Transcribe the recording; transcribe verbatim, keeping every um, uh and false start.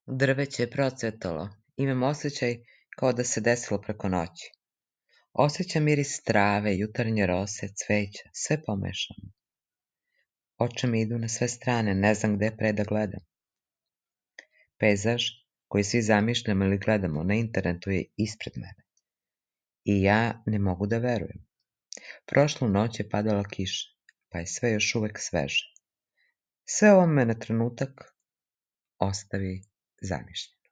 Drveće je procvetalo. Imam osjećaj kao da se desilo preko noći. Osjećam miris trave, jutarnje rose, cveća, sve pomešano. Oči mi idu na sve strane, ne znam gde pre da gledam. Pejzaž koji svi zamišljamo ili gledamo na internetu je ispred mene. I ja ne mogu da verujem. Prošlu noć je padala kiša, pa je sve još uvek sveže. Sve ovo me na trenutak ostavi zamišljen.